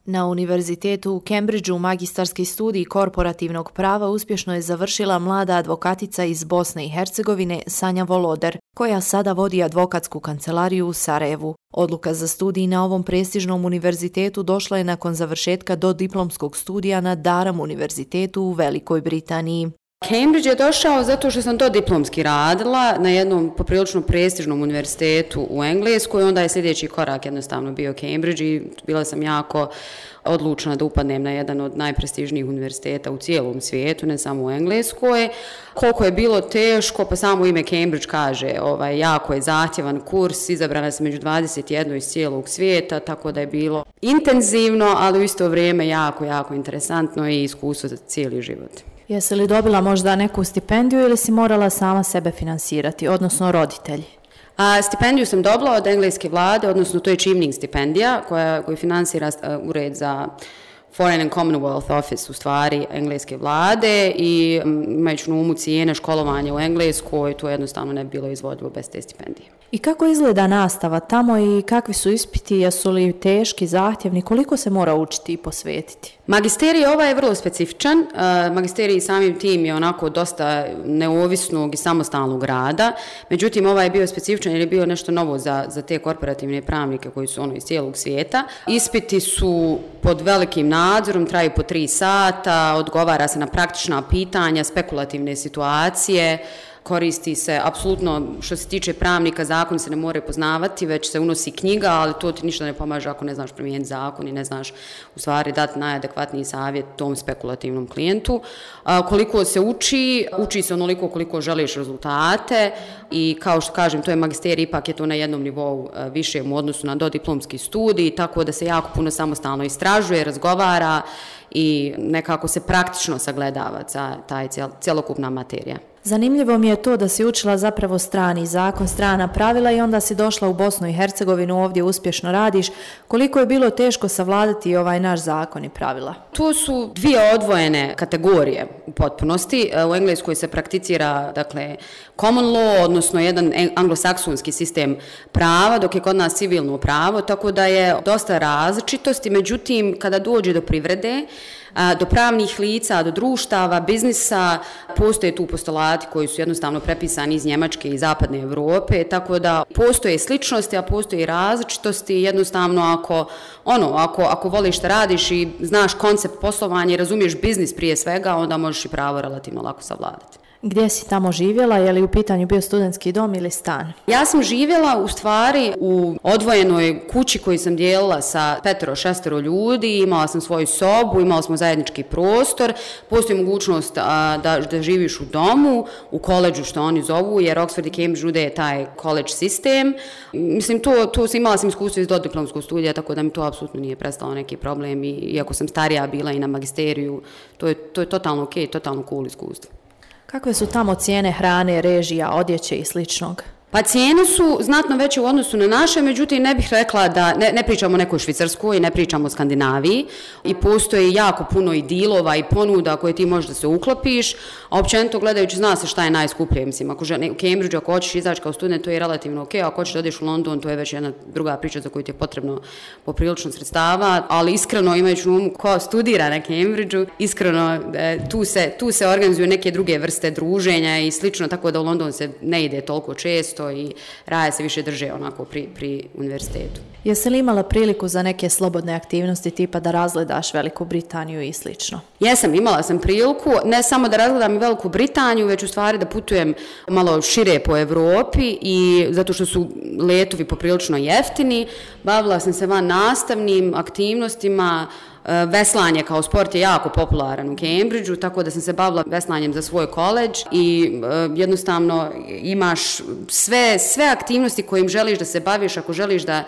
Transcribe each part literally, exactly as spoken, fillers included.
Na Univerzitetu u Cambridgeu magistarski studij korporativnog prava uspješno je završila mlada advokatica iz Bosne i Hercegovine Sanja Voloder, koja sada vodi advokatsku kancelariju u Sarajevu. Odluka za studij na ovom prestižnom univerzitetu došla je nakon završetka dodiplomskog studija na Durham univerzitetu u Velikoj Britaniji. Cambridge je došao zato što sam dodiplomski radila na jednom poprilično prestižnom univerzitetu u Engleskoj, onda je sljedeći korak jednostavno bio Cambridge i bila sam jako odlučna da upadnem na jedan od najprestižnijih univerziteta u cijelom svijetu, ne samo u Engleskoj. Koliko je bilo teško, pa samo ime Cambridge kaže, ovaj, jako je zahtjevan kurs, izabrana sam među dvadeset jedno iz cijelog svijeta, tako da je bilo intenzivno, ali u isto vrijeme jako, jako interesantno i iskustvo za cijeli život. Jesi li dobila možda neku stipendiju ili si morala sama sebe finansirati, odnosno roditelji? A, stipendiju sam dobila od engleske vlade, odnosno to je Chevening stipendija koja, koju finansira uh, ured za Foreign and Commonwealth Office, u stvari engleske vlade, i um, imajući na umu cijene školovanja u Engleskoj, to jednostavno ne bi bilo izvodljivo bez te stipendije. I kako izgleda nastava tamo i kakvi su ispiti, jesu li teški, zahtjevni, koliko se mora učiti i posvetiti? Magisterij ovaj je vrlo specifičan, magisterij samim tim je onako dosta neovisnog i samostalnog rada, međutim ovaj je bio specifičan jer je bio nešto novo za, za te korporativne pravnike koji su ono iz cijelog svijeta. Ispiti su pod velikim nadzorom, traju po tri sata, odgovara se na praktična pitanja, spekulativne situacije, koristi se, apsolutno što se tiče pravnika, zakon se ne mora poznavati, već se unosi knjiga, ali to ti ništa ne pomaže ako ne znaš promijeniti zakon i ne znaš u stvari dati najadekvatniji savjet tom spekulativnom klijentu. A, koliko se uči, uči se onoliko koliko želiš rezultate i kao što kažem, to je magisterij, ipak je to na jednom nivou više u odnosu na dodiplomski studij, tako da se jako puno samostalno istražuje, razgovara i nekako se praktično sagledava taj cjelokupna materija. Zanimljivo mi je to da si učila zapravo strani zakon, strana pravila i onda si došla u Bosnu i Hercegovinu, ovdje uspješno radiš. Koliko je bilo teško savladati ovaj naš zakon i pravila? To su dvije odvojene kategorije u potpunosti. U Engleskoj se prakticira, dakle, common law, odnosno jedan anglosaksonski sistem prava, dok je kod nas civilno pravo, tako da je dosta različitosti. Međutim, kada dođe do privrede, do pravnih lica, do društava, biznisa, postoje tu postulati koji su jednostavno prepisani iz Njemačke i zapadne Europe, tako da postoje sličnosti, a postoje i različitosti. Jednostavno, ako, ono, ako, ako voliš šta radiš i znaš koncept poslovanja i razumiješ biznis prije svega, onda možeš i pravo relativno lako savladati. Gdje si tamo živjela? Je li u pitanju bio studentski dom ili stan? Ja sam živjela u stvari u odvojenoj kući koju sam dijelila sa petero, šestero ljudi, imala sam svoju sobu, imali smo zajednički prostor, postoji mogućnost a, da, da živiš u domu, u koleđu što oni zovu, jer Oxford i Cambridge nude taj college sistem. Mislim, to, to sam, imala sam iskustvo iz dodiplomskog studija, tako da mi to apsolutno nije prestalo neki problem, i iako sam starija bila i na magisteriju, to je, to je totalno ok, totalno cool iskustvo. Kakve su tamo cijene hrane, režija, odjeće i sličnog? Pa cijene su znatno veće u odnosu na naše, međutim ne bih rekla da ne, ne pričamo o nekoj Švicarskoj i ne pričamo o Skandinaviji, i postoji jako puno i dilova i ponuda koje ti možeš da se uklopiš, a općenito gledajući zna se šta je najskuplje. Mislim, ako žene, u Cambridgeu ako hoćeš izaći kao student, to je relativno ok, ako hoćeš da odeš u London, to je već jedna druga priča za koju ti je potrebno poprilično sredstava, ali iskreno imajući na umu ko studira na Cambridgeu, iskreno tu se, tu se organizuju neke druge vrste druženja i slično, tako da u London se ne ide toliko često i raje se više drže onako pri, pri univerzitetu. Jesi li imala priliku za neke slobodne aktivnosti tipa da razgledaš Veliku Britaniju i slično? Jesam, imala sam priliku, ne samo da razgledam Veliku Britaniju, već u stvari da putujem malo šire po Europi, i zato što su letovi poprilično jeftini, bavila sam se van nastavnim aktivnostima. Veslanje kao sport je jako popularan u Cambridgeu, tako da sam se bavila veslanjem za svoj koledž i uh, jednostavno imaš sve, sve aktivnosti kojim želiš da se baviš. Ako želiš da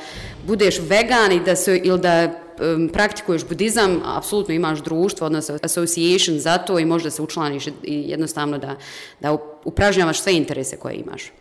budeš vegan i da se, ili da um, praktikuješ budizam, apsolutno imaš društvo, odnosno association za to, i možda se učlaniš i jednostavno da, da upražnjavaš sve interese koje imaš.